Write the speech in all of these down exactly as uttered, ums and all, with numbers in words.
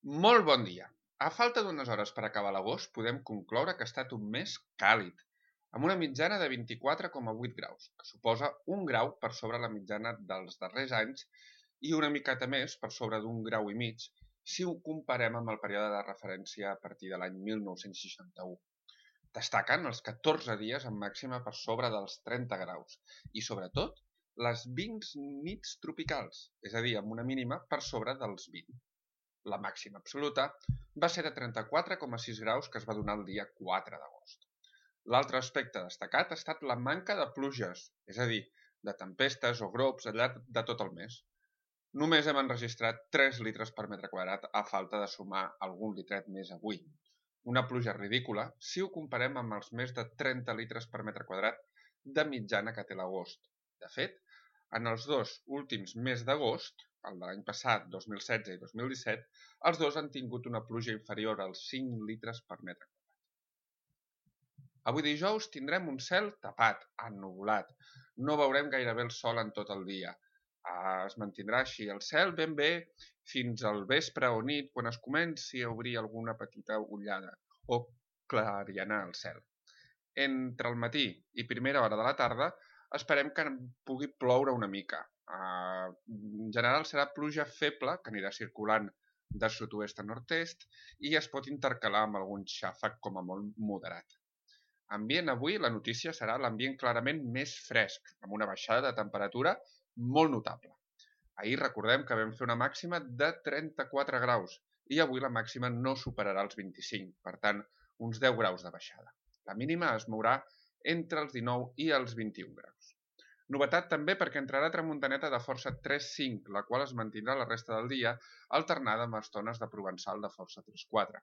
Molt bon dia! A falta d'unes hores per acabar l'agost, podem concloure que ha estat un mes càlid, amb una mitjana de vint-i-quatre coma vuit graus, que suposa un grau per sobre la mitjana dels darrers anys i una miqueta més per sobre d'un grau i mig si ho comparem amb el període de referència a partir de l'any mil nou-cents seixanta-u. Destaquen els catorze dies amb màxima per sobre dels trenta graus i, sobretot, les vint nits tropicals, és a dir, amb una mínima per sobre dels vint. La màxima absoluta va ser de trenta-quatre coma sis graus que es va donar el dia quatre d'agost. L'altre aspecte destacat ha estat la manca de pluges, és a dir, de tempestes o glops al llarg de tot el mes. Només hem enregistrat tres litres per metre quadrat a falta de sumar algun litret més avui. Una pluja ridícula si ho comparem amb els més de trenta litres per metre quadrat de mitjana que té l'agost. De fet, en els dos últims mesos d'agost, el de l'any passat, dos mil setze i dos mil disset, els dos han tingut una pluja inferior als cinc litres per metre quadrat. Avui dijous tindrem un cel tapat, ennuvolat. No veurem gairebé el sol en tot el dia. Es mantindrà així el cel ben bé fins al vespre o nit, quan es comenci a obrir alguna petita ullada o clarianar el cel. Entre el matí i primera hora de la tarda esperem que pugui ploure una mica. En general serà pluja feble, que anirà circulant de sud-oest a nord-est i es pot intercalar amb algun xàfec com a molt moderat. Ambient avui, la notícia serà l'ambient clarament més fresc, amb una baixada de temperatura molt notable. Ahir recordem que vam fer una màxima de trenta-quatre graus i avui la màxima no superarà els vint-i-cinc, per tant, uns deu graus de baixada. La mínima es mourà entre els dinou i els vint-i-un graus. Novetat també perquè entrarà tramuntaneta de força tres cinc, la qual es mantindrà la resta del dia, alternada amb estones de provençal de força tres quatre.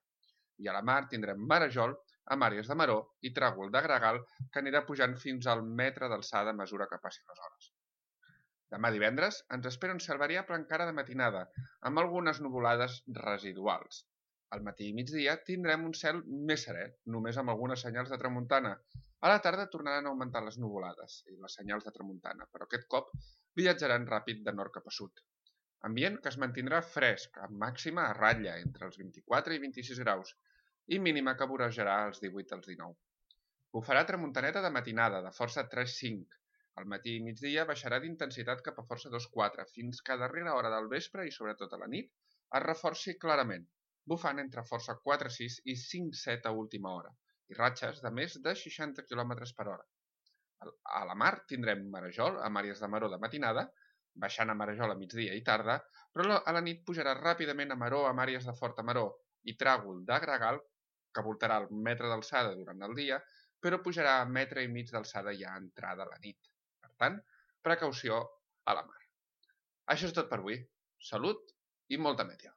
I a la mar tindrem marejol amb àrees de maror i tràgol de gregal que anirà pujant fins al metre d'alçada a mesura que passin les hores. Demà divendres ens espera un cel variable encara de matinada, amb algunes nuvolades residuals. Al matí i migdia tindrem un cel més serè, només amb algunes senyals de tramuntana. A la tarda tornaran a augmentar les nuvolades i les senyals de tramuntana, però aquest cop viatjaran ràpid de nord cap a sud. Ambient que es mantindrà fresc, amb màxima a ratlla entre els vint-i-quatre i vint-i-sis graus i mínima que vorejarà els divuit als dinou. Bufarà tramuntaneta de matinada, de força tres cinc. Al matí i migdia baixarà d'intensitat cap a força dos quatre, fins que a darrera hora del vespre i sobretot a la nit es reforci clarament, bufant entre força quatre sis i cinc set a última hora, i ratxes de més de seixanta quilòmetres per hora. A la mar tindrem marejol amb àrees de maror de matinada, baixant a marejol a migdia i tarda, però a la nit pujarà ràpidament a maror amb àrees de forta maror i tràgol de gregal, que voltarà el metre d'alçada durant el dia, però pujarà a metre i mig d'alçada ja a entrada a la nit. Per tant, precaució a la mar. Això és tot per avui. Salut i molta meteo.